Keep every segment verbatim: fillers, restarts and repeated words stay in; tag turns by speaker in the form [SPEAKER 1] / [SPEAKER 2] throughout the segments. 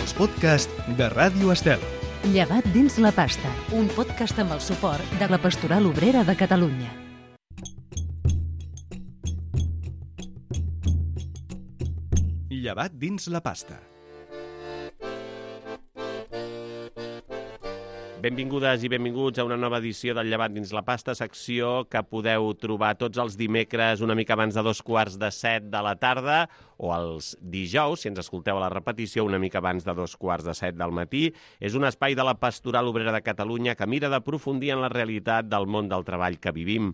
[SPEAKER 1] els podcasts de Ràdio Estel.
[SPEAKER 2] Llevat dins la pasta, un podcast amb el suport de la Pastoral Obrera de Catalunya.
[SPEAKER 1] Llevat dins la pasta.
[SPEAKER 3] Benvingudes i benvinguts a una nova edició del Llevat dins la pasta, secció que podeu trobar tots els dimecres una mica abans de dos quarts de set de la tarda o els dijous, si ens escolteu a la repetició, una mica abans de dos quarts de set del matí. És un espai de la Pastoral Obrera de Catalunya que mira d'aprofundir en la realitat del món del treball que vivim.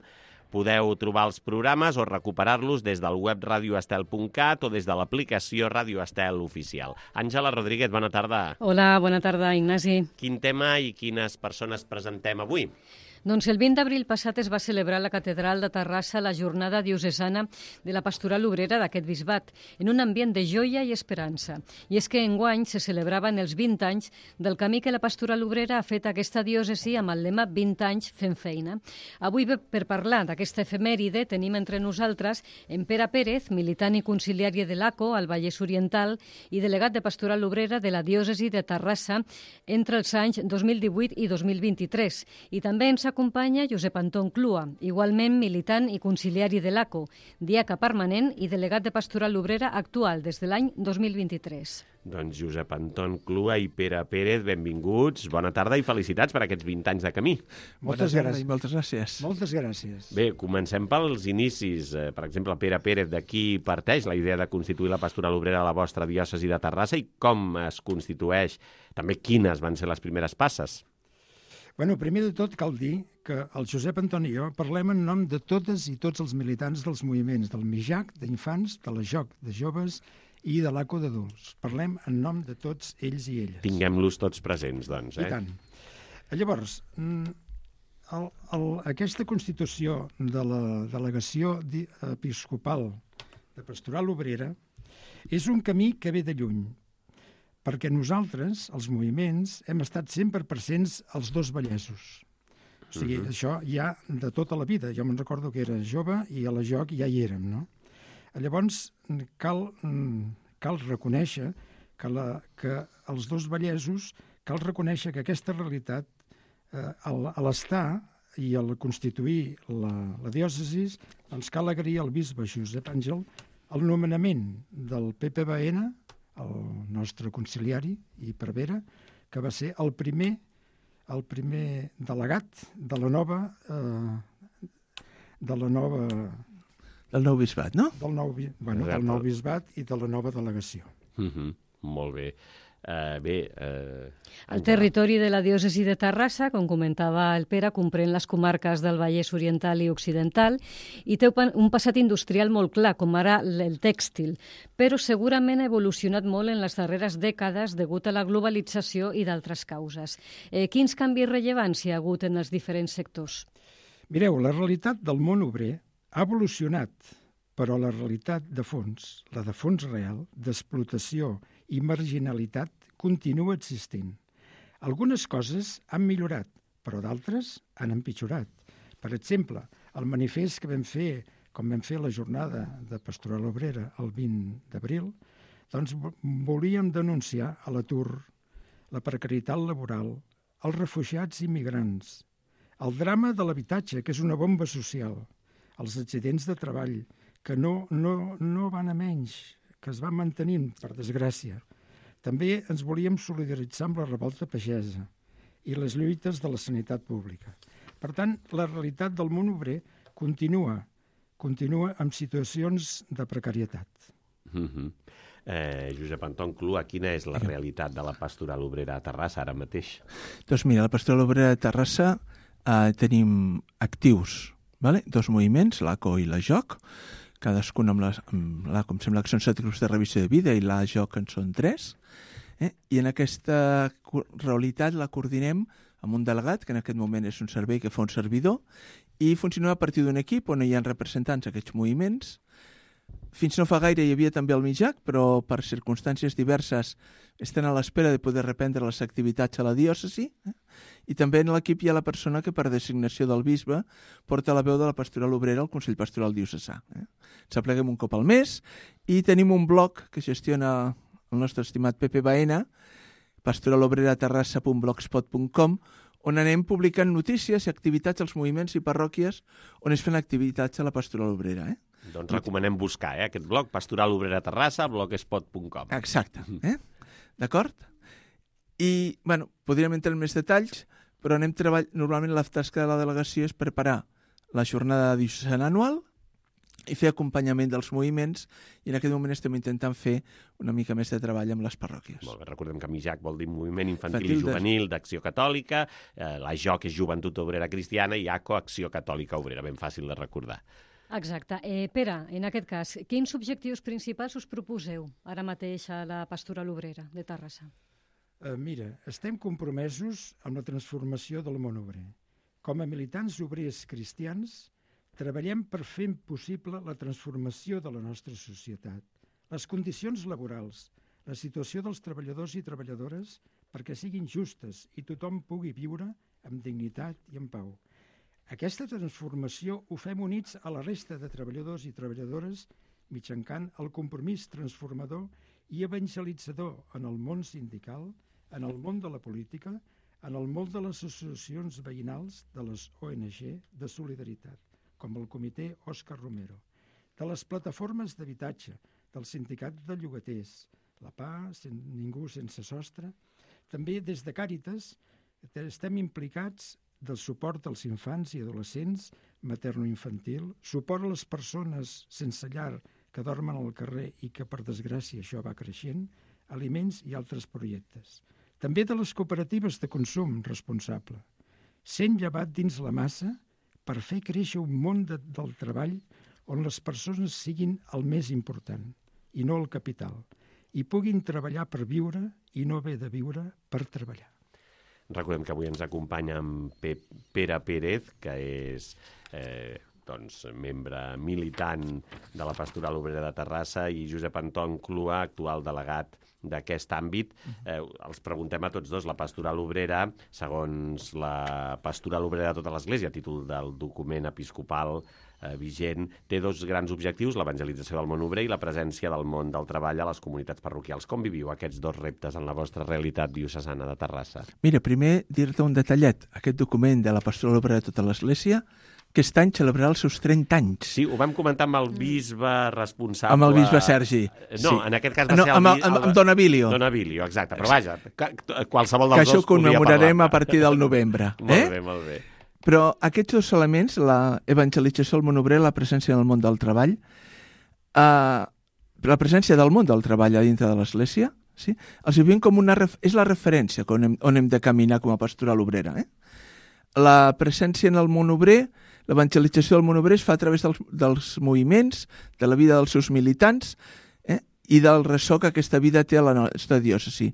[SPEAKER 3] Podeu trobar els programes o recuperar-los des del web radio estel punt cat o des de l'aplicació Ràdio Estel Oficial. Àngela Rodríguez, bona tarda.
[SPEAKER 4] Hola, bona tarda, Ignasi.
[SPEAKER 3] Quin tema i quines persones presentem avui?
[SPEAKER 4] Doncs el vint d'abril passat es va celebrar a la Catedral de Terrassa la jornada diocesana de la Pastoral Obrera d'aquest bisbat, en un ambient de joia i esperança. I és que enguany se celebraven els vint anys del camí que la Pastoral Obrera ha fet a aquesta diòcesi amb el lema vint anys fent feina. Avui, per parlar d'aquesta efemèride, tenim entre nosaltres en Pere Pérez, militant i conciliari de l'A C O al Vallès Oriental i delegat de Pastoral Obrera de la diòcesi de Terrassa entre els anys dos mil divuit i dos mil vint-i-tres. I també ens acompanya Josep Anton Clua, igualment militant i conciliari de l'A C O, diaca permanent i delegat de Pastoral Obrera actual des de l'any dos mil vint-i-tres.
[SPEAKER 3] Doncs Josep Anton Clua i Pere Pérez, benvinguts, bona tarda i felicitats per aquests vint anys de camí.
[SPEAKER 5] Moltes gràcies.
[SPEAKER 6] Moltes gràcies.
[SPEAKER 5] Moltes gràcies.
[SPEAKER 3] Bé, comencem pels inicis. Per exemple, Pere Pérez, d'aquí parteix la idea de constituir la Pastoral Obrera a la vostra diòcesi de Terrassa i com es constitueix, també quines van ser les primeres passes?
[SPEAKER 5] Bueno, primer de tot cal dir que el Josep Anton i jo parlem en nom de totes i tots els militants dels moviments del MIJAC, d'infants, de la J O C de joves i de l'A C O d'adults. Parlem en nom de tots ells i elles.
[SPEAKER 3] Tinguem-los tots presents, doncs. Eh?
[SPEAKER 5] I tant. Llavors, el, el, aquesta constitució de la delegació episcopal de Pastoral Obrera és un camí que ve de lluny, perquè nosaltres, els moviments, hem estat sempre presents als dos Vallesos. O sigui, uh-huh. això ja de tota la vida. Jo me'n recordo que era jove i a la J O C ja hi érem, no? Llavors, cal, cal reconèixer que, la, que els dos Vallesos, cal reconèixer que aquesta realitat, eh, a l'estar i al constituir la, la diòcesi, doncs cal agrair al bisbe Josep Àngel el nomenament del P P B N, el nostre conciliari i prevera, que va ser el primer, el primer delegat de la nova... Eh, de la nova...
[SPEAKER 6] Del nou bisbat, no?
[SPEAKER 5] Del nou, bueno, del nou bisbat i de la nova delegació.
[SPEAKER 3] Uh-huh. Molt bé. Uh, bé... Uh,
[SPEAKER 4] el territori de la diòcesi de Terrassa, com comentava el Pere, comprèn les comarques del Vallès Oriental i Occidental i té un passat industrial molt clar, com ara el tèxtil, però segurament ha evolucionat molt en les darreres dècades degut a la globalització i d'altres causes. Eh, quins canvis rellevants hi ha hagut en els diferents sectors?
[SPEAKER 5] Mireu, la realitat del món obrer ha evolucionat, però la realitat de fons, la de fons real, d'explotació i marginalitat, continua existint. Algunes coses han millorat, però d'altres han empitjorat. Per exemple, el manifest que vam fer, com vam fer la jornada de Pastoral Obrera el vint d'abril, doncs volíem denunciar a l'atur, la precarietat laboral, els refugiats i migrants, el drama de l'habitatge, que és una bomba social, els accidents de treball, que no, no, no van a menys, que es van mantenint, per desgràcia. També ens volíem solidaritzar amb la revolta pagesa i les lluites de la sanitat pública. Per tant, la realitat del món obrer continua, continua amb situacions de precarietat.
[SPEAKER 3] Uh-huh. eh, Josep Anton Clua, quina és la realitat de la Pastoral Obrera a Terrassa ara mateix?
[SPEAKER 6] Doncs mira, la Pastoral Obrera de Terrassa eh, tenim actius, vale? Dos moviments, l'A C O i la J O C, cadascun amb la, amb la, com sembla que són set grups de revisió de vida i la J O C en són tres, eh? I en aquesta realitat la coordinem amb un delegat, que en aquest moment és un servei que fa un servidor, i funciona a partir d'un equip on hi ha representants d'aquests moviments. Fins no fa gaire hi havia també el MIJAC, però per circumstàncies diverses estan a l'espera de poder reprendre les activitats a la diòcesi. Eh? I també en l'equip hi ha la persona que per designació del bisbe porta la veu de la Pastoral Obrera al Consell Pastoral Diocesà. Eh? Ens apleguem un cop al mes i tenim un blog que gestiona el nostre estimat P P B N pastoralobreraterrassa punt blogspot punt com, on anem publicant notícies i activitats als moviments i parròquies on es fan activitats a la Pastoral Obrera. Eh?
[SPEAKER 3] Doncs recomanem buscar eh, aquest blog, Pastoral Obrera Terrassa, blogspot punt com.
[SPEAKER 6] Exacte. Eh? D'acord? I, bueno, podríem entrar en més detalls, però anem treballant... Normalment la tasca de la delegació és preparar la jornada diocesana anual i fer acompanyament dels moviments, i en aquest moment estem intentant fer una mica més de treball amb les parròquies.
[SPEAKER 3] Molt bé, recordem que MIJAC vol dir Moviment Infantil
[SPEAKER 6] Infantil
[SPEAKER 3] i Juvenil d'Acció Catòlica, eh, la J O C és Joventut Obrera Cristiana i A C O, Acció Catòlica Obrera, ben fàcil de recordar.
[SPEAKER 4] Exacte. Eh, Pere, en aquest cas, quins objectius principals us proposeu ara mateix a la Pastoral Obrera de Terrassa?
[SPEAKER 5] Uh, mira, estem compromesos amb la transformació del món obrer. Com a militants obrers cristians, treballem per fer possible la transformació de la nostra societat, les condicions laborals, la situació dels treballadors i treballadores perquè siguin justes i tothom pugui viure amb dignitat i en pau. Aquesta transformació ho fem units a la resta de treballadors i treballadores mitjançant el compromís transformador i evangelitzador en el món sindical, en el món de la política, en el món de les associacions veïnals, de les O N G de solidaritat, com el comitè Òscar Romero, de les plataformes d'habitatge, del sindicat de llogaters, la P A, sen, Ningú sense sostre. També des de Càritas estem implicats del suport als infants i adolescents, materno-infantil, suport a les persones sense llar que dormen al carrer i que, per desgràcia, això va creixent, aliments i altres projectes. També de les cooperatives de consum responsable, sent llevat dins la massa per fer créixer un món de, del treball on les persones siguin el més important i no el capital, i puguin treballar per viure i no haver de viure per treballar.
[SPEAKER 3] Recordem que avui ens acompanya en Pere Pérez, que és eh, doncs, membre militant de la Pastoral Obrera de Terrassa, i Josep Anton Clua, actual delegat d'aquest àmbit. Eh, els preguntem a tots dos, la Pastoral Obrera, segons la Pastoral Obrera de tota l'Església, a títol del document episcopal eh, vigent, té dos grans objectius, l'evangelització del món obrer i la presència del món del treball a les comunitats parroquials. Com viviu aquests dos reptes en la vostra realitat diocesana de Terrassa?
[SPEAKER 6] Mira, primer dir-te un detallet. Aquest document de la Pastoral Obrera de tota l'Església aquest any celebrarà els seus trenta anys.
[SPEAKER 3] Sí, ho vam comentar amb el bisbe responsable...
[SPEAKER 6] Amb el bisbe Sergi.
[SPEAKER 3] No,
[SPEAKER 6] sí.
[SPEAKER 3] En aquest cas va
[SPEAKER 6] no,
[SPEAKER 3] ser el...
[SPEAKER 6] Amb, el, amb, amb Don Avilio.
[SPEAKER 3] Don Avilio, exacte. Però vaja, qualsevol dels
[SPEAKER 6] que això
[SPEAKER 3] dos
[SPEAKER 6] ho commemorarem a partir del novembre.
[SPEAKER 3] Eh? Molt bé, molt bé.
[SPEAKER 6] Però aquests dos elements, la evangelització del món obrer, la presència en el món del treball, eh, la presència del món del treball a dintre de l'Església, sí? Els vivim com una... És la referència on hem, on hem de caminar com a pastoral obrera. Eh? La presència en el món obrer, l'evangelització del món obrer es fa a través dels, dels moviments, de la vida dels seus militants eh? I del ressò que aquesta vida té a la nostra diòcesi.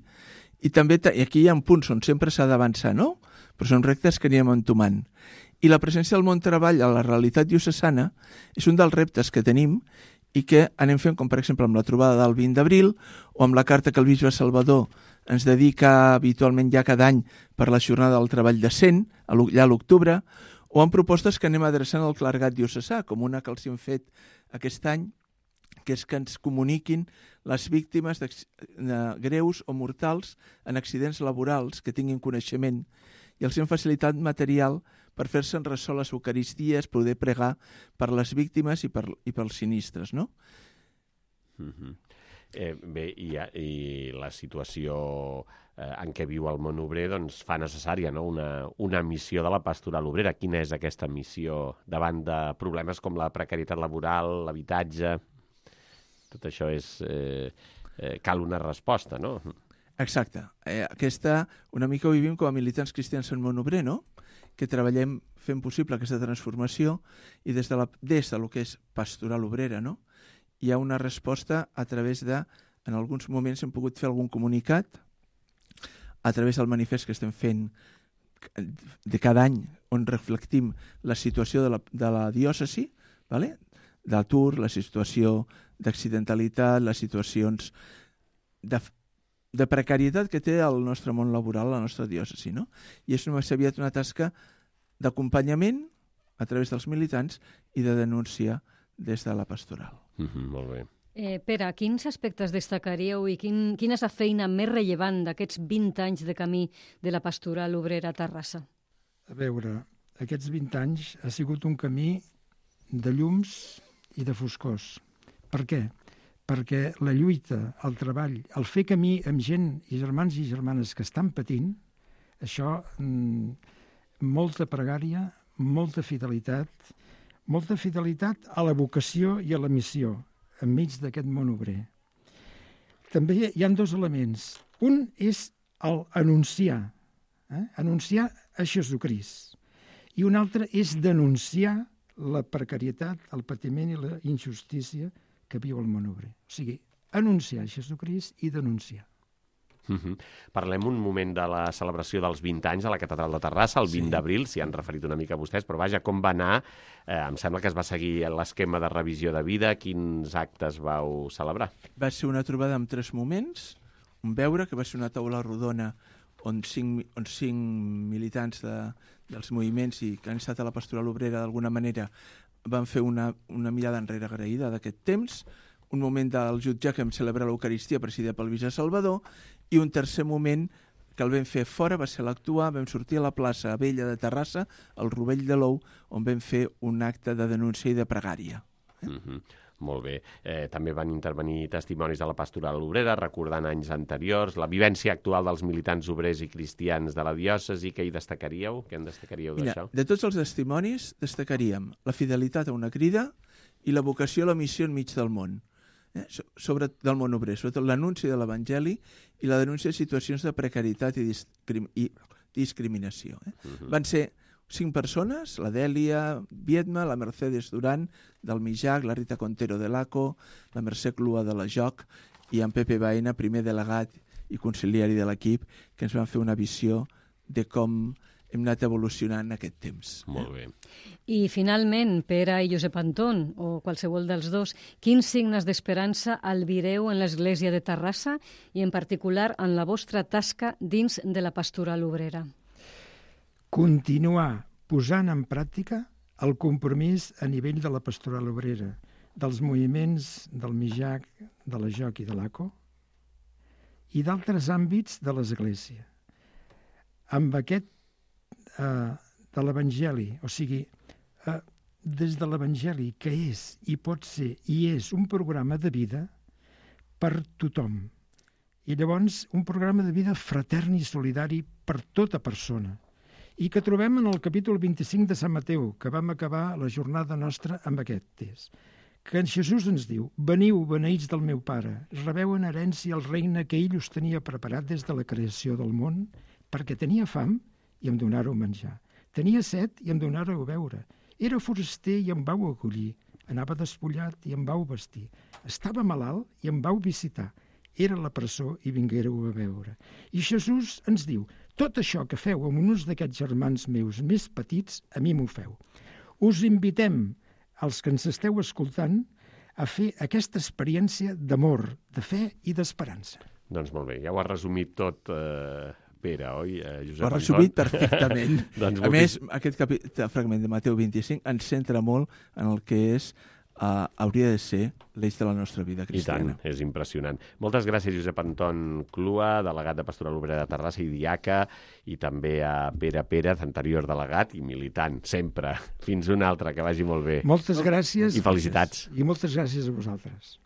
[SPEAKER 6] I també i aquí hi ha punts on sempre s'ha d'avançar, no? Però són reptes que anirem entomant. I la presència del món treball a la realitat diocesana és un dels reptes que tenim i que anem fent, com per exemple amb la trobada del vint d'abril o amb la carta que el bisbe Salvador ens dedica habitualment ja cada any per la jornada del treball decent, allà a l'octubre, o amb propostes que anem adreçant al clergat diocesà, com una que els hem fet aquest any, que és que ens comuniquin les víctimes de greus o mortals en accidents laborals que tinguin coneixement, i els hem facilitat material per fer-se'n ressò les eucaristies, poder pregar per les víctimes i, per, i pels sinistres, no?
[SPEAKER 3] Mm-hmm. Eh, bé, i, i la situació eh, en què viu el món obrer doncs, fa necessària, no? una, una missió de la pastoral obrera. Quina és aquesta missió davant de problemes com la precarietat laboral, l'habitatge? Tot això és, eh, eh, cal una resposta, no?
[SPEAKER 6] Exacte. Eh, aquesta una mica ho vivim com a militants cristians en món obrer, no? Que treballem fent possible aquesta transformació i des de, la, des de lo que és pastoral obrera, no? Hi ha una resposta a través de, en alguns moments hem pogut fer algun comunicat, a través del manifest que estem fent de cada any, on reflectim la situació de la, de la diòcesi, vale? D'atur, la situació d'accidentalitat, les situacions de, de precarietat que té el nostre món laboral, la nostra diòcesi, no? I és més aviat una tasca d'acompanyament a través dels militants i de denúncia des de la pastoral.
[SPEAKER 3] Mm-hmm, molt bé.
[SPEAKER 4] Eh, Pere, quins aspectes destacaríeu i quin, quina és la feina més rellevant d'aquests vint anys de camí de la pastoral obrera a Terrassa?
[SPEAKER 5] A veure, aquests vint anys ha sigut un camí de llums i de foscors. Per què? Perquè la lluita, el treball, el fer camí amb gent i germans i germanes que estan patint, això, mmm, molta pregària, molta fidelitat, molta fidelitat a la vocació i a la missió, enmig d'aquest món obrer. També hi ha dos elements. Un és el anunciar, eh? anunciar a Jesucrist. I un altre és denunciar la precarietat, el patiment i la injustícia que viu el món obrer. O sigui, anunciar Jesucrist i denunciar.
[SPEAKER 3] Uh-huh. Parlem un moment de la celebració dels vint anys a la Catedral de Terrassa, el vint
[SPEAKER 5] Sí.
[SPEAKER 3] d'abril, s'hi han referit una mica a vostès, però vaja, com va anar? Eh, em sembla que es va seguir l'esquema de revisió de vida. Quins actes vau celebrar?
[SPEAKER 6] Va ser una trobada amb tres moments. Un veure, que va ser una taula rodona on cinc, on cinc militants de, dels moviments i que han estat a la pastoral obrera d'alguna manera van fer una, una mirada enrere agraïda d'aquest temps. Un moment del jutge que vam celebrar l'Eucaristia presidida pel Bisbe Salvador, i un tercer moment que el vam fer fora va ser l'actuar. Vam sortir a la plaça Vella de Terrassa, al Rovell de l'Ou, on vam fer un acte de denúncia i de pregària.
[SPEAKER 3] Uh-huh. Molt bé. Eh, també van intervenir testimonis de la pastoral obrera, recordant anys anteriors, la vivència actual dels militants obrers i cristians de la diòcesi. Què hi destacaríeu? Què en destacaríeu d'això?
[SPEAKER 6] De tots els testimonis destacaríem la fidelitat a una crida i la vocació a la missió enmig del món. Eh? Sobre del món obrer, sobretot l'anunci de l'Evangeli i la denúncia de situacions de precarietat i, discrim i discriminació. Eh? Uh-huh. Van ser cinc persones, la Dèlia Viedma, la Mercedes Duran del Mijac, la Rita Contero de l'ACO, la Mercè Clua de la Joc i en Pepe Baena, primer delegat i conciliari de l'equip, que ens van fer una visió de com hem anat evolucionant en aquest temps.
[SPEAKER 3] Molt bé.
[SPEAKER 4] I finalment, Pere i Josep Anton, o qualsevol dels dos, quins signes d'esperança albireu en l'Església de Terrassa i en particular en la vostra tasca dins de la pastoral obrera?
[SPEAKER 5] Continuar posant en pràctica el compromís a nivell de la pastoral obrera, dels moviments del Mijac, de la Joc i de l'ACO, i d'altres àmbits de l'Església. Amb aquest eh, de l'Evangeli, o sigui, eh, des de l'Evangeli, que és i pot ser i és un programa de vida per tothom. I llavors un programa de vida fratern i solidari per tota persona, i que trobem en el capítol vint-i-cinc de Sant Mateu, que vam acabar la jornada nostra amb aquest text, que en Jesús ens diu: «Veniu, beneïts del meu Pare, rebeu en herència el regne que ell us tenia preparat des de la creació del món, perquè tenia fam i em donàreu menjar, tenia set i em donàreu beure, era foraster i em vau acollir, anava despullat i em vau vestir, estava malalt i em vau visitar, era a la presó i vinguéreu a veure». I Jesús ens diu: «Tot això que feu amb uns d'aquests germans meus més petits, a mi m'ho feu». Us invitem, els que ens esteu escoltant, a fer aquesta experiència d'amor, de fe i d'esperança.
[SPEAKER 3] Doncs molt bé, ja ho ha resumit tot, eh, Pere, oi, eh, Josep?
[SPEAKER 6] Ho ha resumit perfectament.
[SPEAKER 3] Doncs
[SPEAKER 6] a més, aquest capítol, fragment de Mateu vint-i-cinc ens centra molt en el que és, uh, hauria de ser l'eix de la nostra vida cristiana.
[SPEAKER 3] I tant, és impressionant. Moltes gràcies, Josep Anton Clua, delegat de Pastoral Obrera de Terrassa i diaca, i també a Pere Pérez, anterior delegat i militant, sempre. Fins una altra, que vagi molt bé.
[SPEAKER 5] Moltes gràcies.
[SPEAKER 3] I felicitats.
[SPEAKER 5] I moltes gràcies a vosaltres.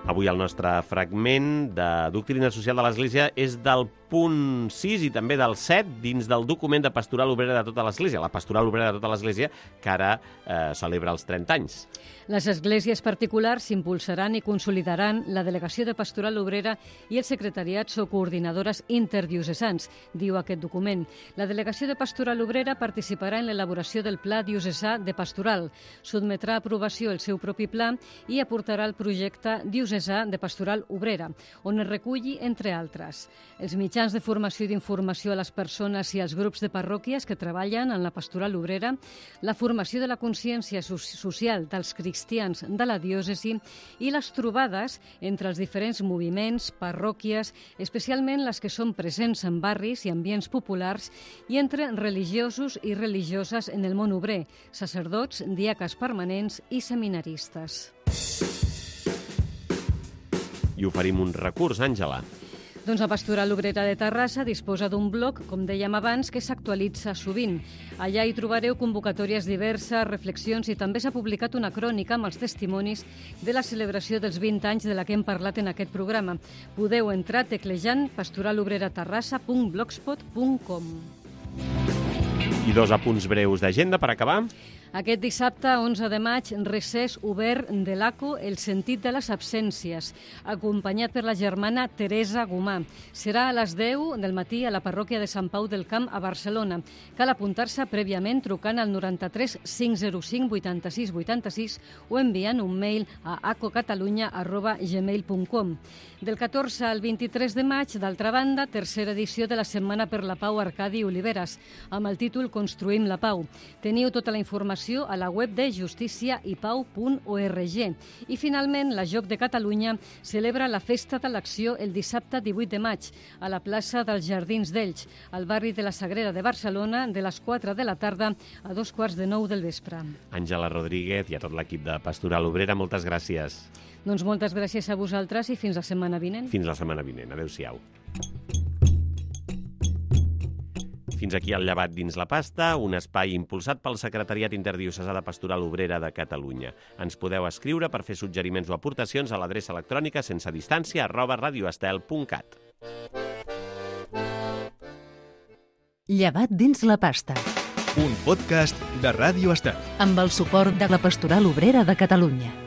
[SPEAKER 3] Avui el nostre fragment de Doctrina Social de l'Església és del punt sis i també del set dins del document de Pastoral Obrera de tota l'Església, la Pastoral Obrera de tota l'Església, que ara eh, celebra els trenta anys.
[SPEAKER 4] Les esglésies particulars impulsaran i consolidaran la Delegació de Pastoral Obrera i els secretariats o coordinadores interdiocesans, diu aquest document. La Delegació de Pastoral Obrera participarà en l'elaboració del Pla Diocesà de Pastoral, sotmetrà a aprovació el seu propi pla i aportarà el projecte diocesà de Pastoral Obrera, on es reculli, entre altres, els mitjans mitjans de formació i d'informació a les persones i als grups de parròquies que treballen en la pastoral obrera, la formació de la consciència social dels cristians de la diòcesi i les trobades entre els diferents moviments, parròquies, especialment les que són presents en barris i ambients populars i entre religiosos i religioses en el món obrer, sacerdots, diaques permanents i seminaristes.
[SPEAKER 3] I oferim un recurs, Àngela.
[SPEAKER 4] Doncs la Pastoral Obrera de Terrassa disposa d'un blog, com dèiem abans, que s'actualitza sovint. Allà hi trobareu convocatòries diverses, reflexions i també s'ha publicat una crònica amb els testimonis de la celebració dels vint anys de la que hem parlat en aquest programa. Podeu entrar teclejant pastoralobreraterrassa punt blogspot punt com.
[SPEAKER 3] I dos apunts breus d'agenda per acabar.
[SPEAKER 4] Aquest dissabte, onze de maig, recés obert de l'A C O El sentit de les absències, acompanyat per la germana Teresa Gomà. Serà a les deu del matí a la parròquia de Sant Pau del Camp a Barcelona. Cal apuntar-se prèviament trucant al noranta-tres cinc zero cinc vuitanta-sis vuitanta-sis o enviant un mail a acocatalunya arroba gmail punt com. Del catorze al vint-i-tres de maig, d'altra banda, tercera edició de la Setmana per la Pau Arcadi Oliveres, amb el títol Construïm la Pau. Teniu tota la informació a la web de justícia i pau punt org. I finalment, la Joc de Catalunya celebra la Festa de l'Acció el dissabte divuit de maig a la plaça dels Jardins d'Elx, al barri de la Sagrera de Barcelona, de les quatre de la tarda a dos quarts de nou del vespre.
[SPEAKER 3] Àngela Rodríguez i a tot l'equip de Pastoral Obrera, moltes gràcies.
[SPEAKER 4] Doncs moltes gràcies a vosaltres i fins la setmana vinent.
[SPEAKER 3] Fins la setmana vinent. Adéu-siau. Fins aquí el Llevat dins la pasta, un espai impulsat pel Secretariat Interdiocesà de Pastoral Obrera de Catalunya. Ens podeu escriure per fer suggeriments o aportacions a l'adreça electrònica sense distància arroba radioestel punt cat.
[SPEAKER 2] Llevat dins la pasta.
[SPEAKER 1] Un podcast de Ràdio Estel.
[SPEAKER 2] Amb el suport de la Pastoral Obrera de Catalunya.